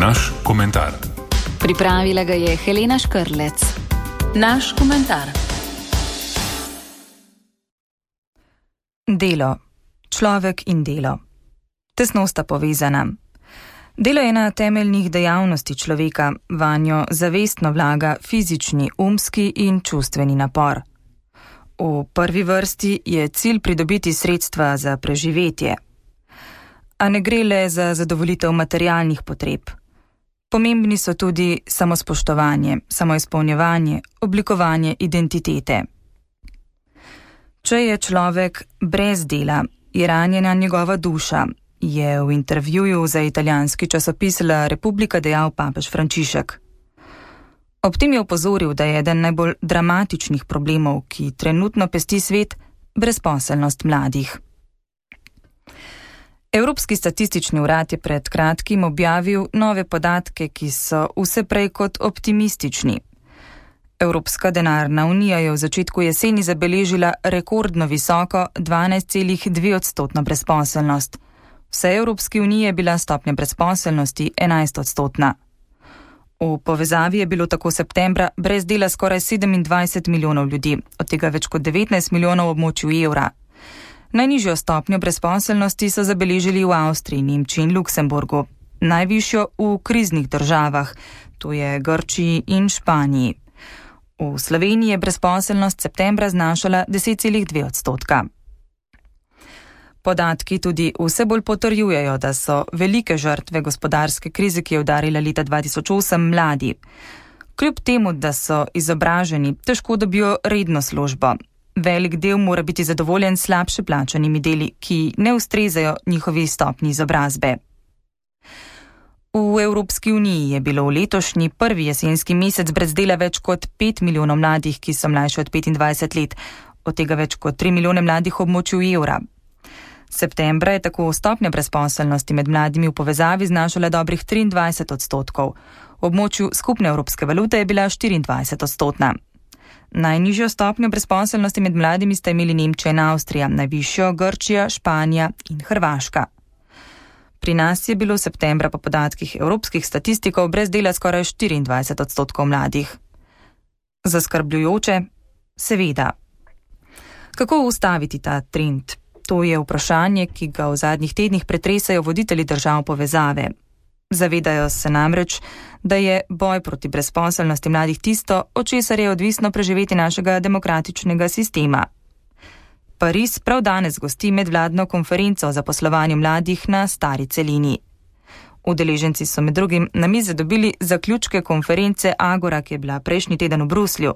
Naš komentar. Pripravila ga je Helena Škrlec. Naš komentar. Delo. Človek in delo. Tesno sta povezana. Delo je ena temeljnih dejavnosti človeka, vanjo zavestno vlaga fizični, umski in čustveni napor. V prvi vrsti je cilj pridobiti sredstva za preživetje. A ne gre le za zadovoljitev materialnih potreb. Pomembni so tudi samospoštovanje, samoizpolnjevanje, oblikovanje identitete. Če je človek brez dela, je ranjena njegova duša, je v intervjuju za italijanski časopis La Repubblica dejal papež Frančišek. Ob tem je opozoril, da je eden najbolj dramatičnih problemov, ki trenutno pesti svet, brezposelnost mladih. Evropski statistični urad je pred kratkim objavil nove podatke, ki so vse prej kot optimistični. Evropska denarna unija je v začetku jeseni zabeležila rekordno visoko 12,2% brezposelnost. Vse Evropski uniji je bila stopnja brezposelnosti 11%. V povezavi je bilo tako septembra brez dela skoraj 27 milijonov ljudi, od tega več kot 19 milijonov v območju evra. Najnižjo stopnjo brezposelnosti so zabeležili v Avstriji, Nemčiji in Luksemburgu, najvišjo v kriznih državah, to je Grčiji in Španiji. V Sloveniji je brezposelnost septembra znašala 10,2%. Podatki tudi vse bolj potrjujejo, da so velike žrtve gospodarske krize, ki je udarila leta 2008, mladi. Kljub temu, da so izobraženi, težko dobijo redno službo. Velik del mora biti zadovoljen s slabše plačanimi deli, ki ne ustrezajo njihovi stopnji izobrazbe. V Evropski uniji je bilo v letošnji prvi jesenski mesec brez dela več kot 5 milijonov mladih, ki so mlajši od 25 let, od tega več kot 3 milijone mladih v območju evra. Septembra je tako stopnja brezposelnosti med mladimi v povezavi znašala dobrih 23%, v območju skupne evropske valute je bila 24%. Najnižjo stopnjo brezposelnosti med mladimi sta imeli Nemčija in Avstrija, najvišjo Grčija, Španija in Hrvaška. Pri nas je bilo septembra po podatkih evropskih statistikov brez dela skoraj 24% mladih. Zaskrbljujoče? Seveda. Kako ustaviti ta trend? To je vprašanje, ki ga v zadnjih tednih pretresajo voditelji držav povezave. Zavedajo se namreč, da je boj proti brezposelnosti mladih tisto, od česar je odvisno preživeti našega demokratičnega sistema. Pariz prav danes gosti medvladno konferenco o zaposlovanju mladih na stari celini. Udeleženci so med drugim na mize dobili zaključke konference Agora, ki je bila prejšnji teden v Bruslju.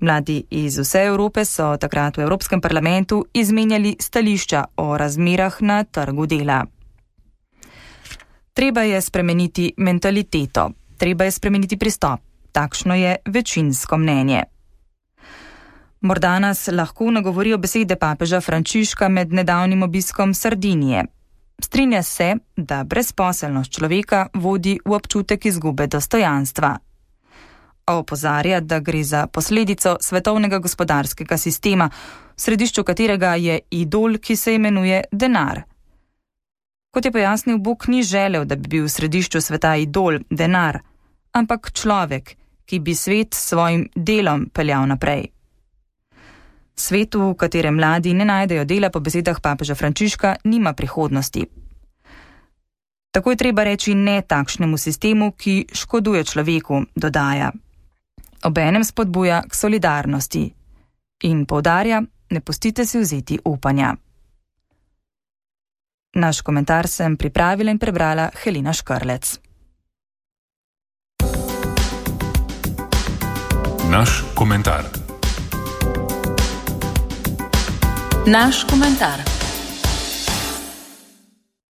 Mladi iz vse Evrope so takrat v Evropskem parlamentu izmenjali stališča o razmerah na trgu dela. Treba je spremeniti mentaliteto, treba je spremeniti pristop. Takšno je večinsko mnenje. Morda nas lahko nagovorijo besede papeža Frančiška med nedavnim obiskom Sardinije. Strinja se, da brezposelnost človeka vodi v občutek izgube dostojanstva. A opozarja, da gre za posledico svetovnega gospodarskega sistema, v središču katerega je idol, ki se imenuje denar. Kot je pojasnil, Bog ni želel, da bi bil v središču sveta idol, denar, ampak človek, ki bi svet s svojim delom peljal naprej. Svet, v katerem mladi ne najdejo dela, po besedah papeža Frančiška, nima prihodnosti. Tako je treba reči ne takšnemu sistemu, ki škoduje človeku, dodaja. Obenem spodbuja k solidarnosti in poudarja, ne pustite si vzeti upanja. Naš komentar sem pripravila in prebrala Helena Škrlec. Naš komentar. Naš komentar.